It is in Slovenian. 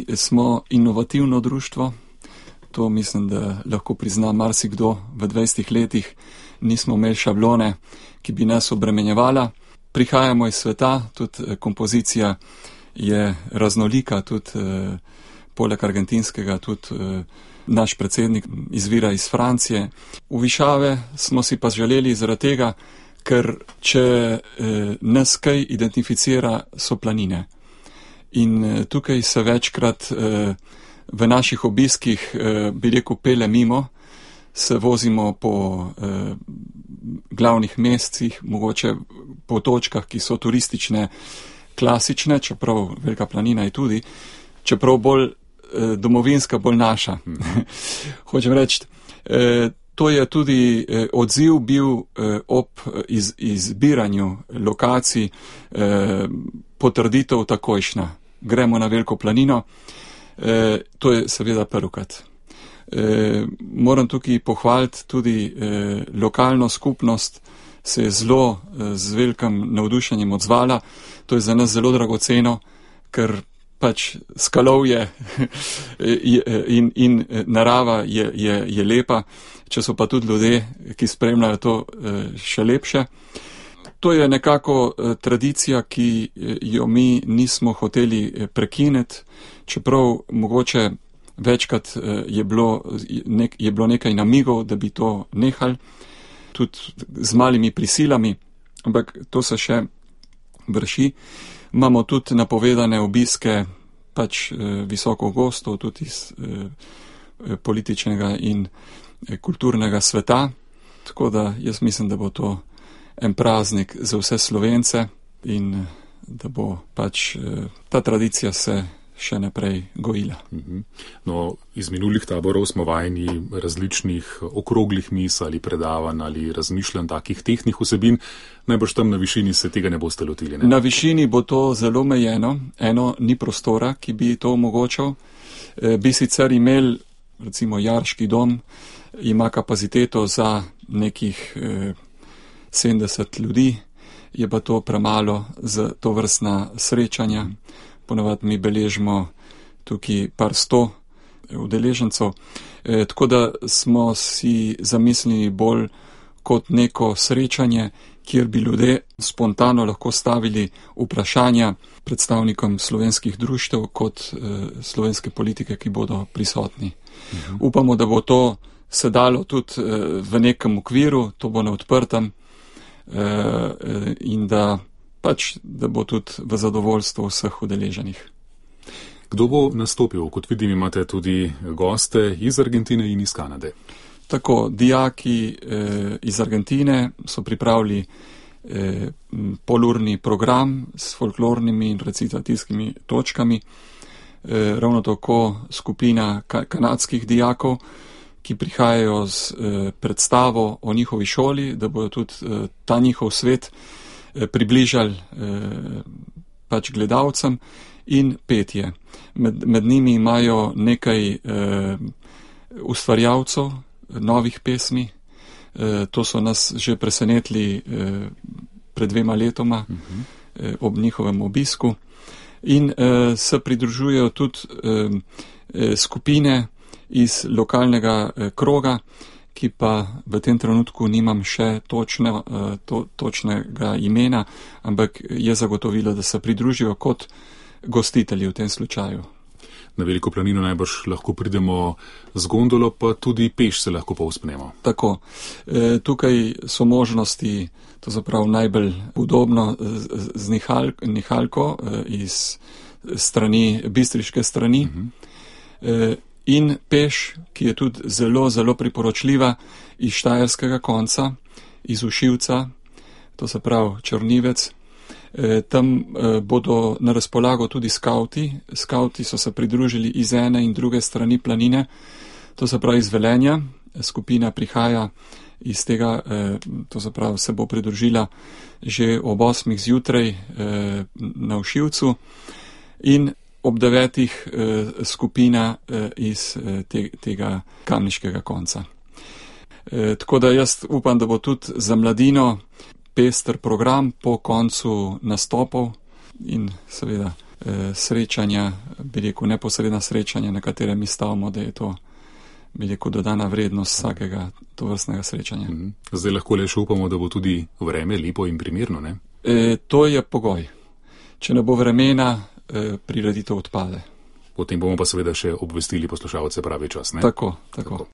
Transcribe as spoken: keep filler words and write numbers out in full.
Mi smo inovativno društvo, to mislim, da lahko prizna marsikdo. V dvajsetih letih nismo imeli šablone, ki bi nas obremenjevala. Prihajamo iz sveta, tudi kompozicija je raznolika, tudi eh, poleg argentinskega, tudi eh, naš predsednik izvira iz Francije. V Višave smo si pa želeli zaradi tega, ker če eh, nas kaj identificira, so planine. In eh, tukaj se večkrat eh, v naših obiskih, eh, bi rekel, pele mimo, se vozimo po eh, glavnih mestih, mogoče po točkah, ki so turistične, klasične, čeprav Velika planina je tudi, čeprav bolj eh, domovinska, bolj naša. Hočem reči, eh, to je tudi eh, odziv bil eh, ob iz, izbiranju lokacij, eh, potrditev takojšnja. Gremo na Veliko planino, eh, to je seveda prvokrat. Eh, moram tukaj pohvaliti tudi eh, lokalno skupnost, se je zelo eh, z velikim navdušenjem odzvala. To je za nas zelo dragoceno, ker pač skalovje in, in narava je, je, je lepa, če so pa tudi ljudje, ki spremljajo to, še lepše. To je nekako tradicija, ki jo mi nismo hoteli prekiniti, čeprav mogoče večkrat je bilo, nek, je bilo nekaj namigov, da bi to nehali, tudi z malimi prisilami, ampak to se še vrši. Imamo tudi napovedane obiske pač eh, visoko gostov, tudi iz eh, političnega in eh, kulturnega sveta, tako da jaz mislim, da bo to en praznik za vse Slovence in eh, da bo pač eh, ta tradicija se še naprej gojila. No, iz minulih taborov smo vajeni različnih okroglih mis ali predavanj ali razmišljanj takih tehnih vsebin. Najbrž tam na višini se tega ne boste lotili, ne? Na višini bo to zelo omejeno. Eno, ni prostora, ki bi to omogočal. E, bi sicer imel, recimo Jarški dom, ima kapaciteto za nekih e, sedemdeset ljudi, je pa to premalo za to vrstna srečanja. Ponavadi mi beležimo tukaj par sto udeležencev, e, tako da smo si zamislili bolj kot neko srečanje, kjer bi ljudje spontano lahko stavili vprašanja predstavnikom slovenskih društev kot e, slovenske politike, ki bodo prisotni. Mhm. Upamo, da bo to se dalo tudi e, v nekem okviru, to bo na odprtem e, e, in da pač, da bo tudi v zadovoljstvo vseh udeleženih. Kdo bo nastopil? Kot vidim, imate tudi goste iz Argentine in iz Kanade. Tako, dijaki eh, iz Argentine so pripravili eh, polurni program s folklornimi in recitativskimi točkami. Eh, ravno tako skupina ka- kanadskih dijakov, ki prihajajo z eh, predstavo o njihovi šoli, da bodo tudi eh, ta njihov svet približali eh, pač gledalcem, in petje. Med, med njimi imajo nekaj eh, ustvarjalcev novih pesmi. Eh, to so nas že presenetili eh, pred dvema letoma uh-huh. eh, ob njihovem obisku. In eh, se pridružujejo tudi eh, skupine iz lokalnega eh, kroga, ki pa v tem trenutku nimam še točne, to, točnega imena, ampak je zagotovilo, da se pridružijo kot gostitelji v tem slučaju. Na Veliko planino najbrž lahko pridemo z gondolo, pa tudi peš se lahko povzpnemo. Tako. E, tukaj so možnosti, to zaprav najbolj udobno, z, z nihal, nihalko e, iz strani, bistriške strani. Uh-huh. E, in peš, ki je tudi zelo, zelo priporočljiva iz štajerskega konca, iz Ušivca, to se pravi Črnivec. E, tam e, bodo na razpolago tudi skauti. Skauti so se pridružili iz ene in druge strani planine, to se pravi iz Velenja. Skupina prihaja iz tega, e, to se pravi se bo pridružila že ob osmih zjutraj e, na Ušivcu in ob devetih eh, skupina eh, iz eh, te, tega kamniškega konca. Eh, tako da jaz upam, da bo tudi za mladino pester program po koncu nastopov in seveda srečanja, bi rekel, neposredna srečanja, na katere mi stavimo, da je to, bi rekel, dodana vrednost vsakega tovrstnega srečanja. Zdaj lahko le še upamo, da bo tudi vreme lepo in primerno, ne? E, to je pogoj. Če ne bo vremena, e, prireditev odpade. Potem bomo pa seveda še obvestili poslušalce pravi čas, ne? Tako, tako. tako.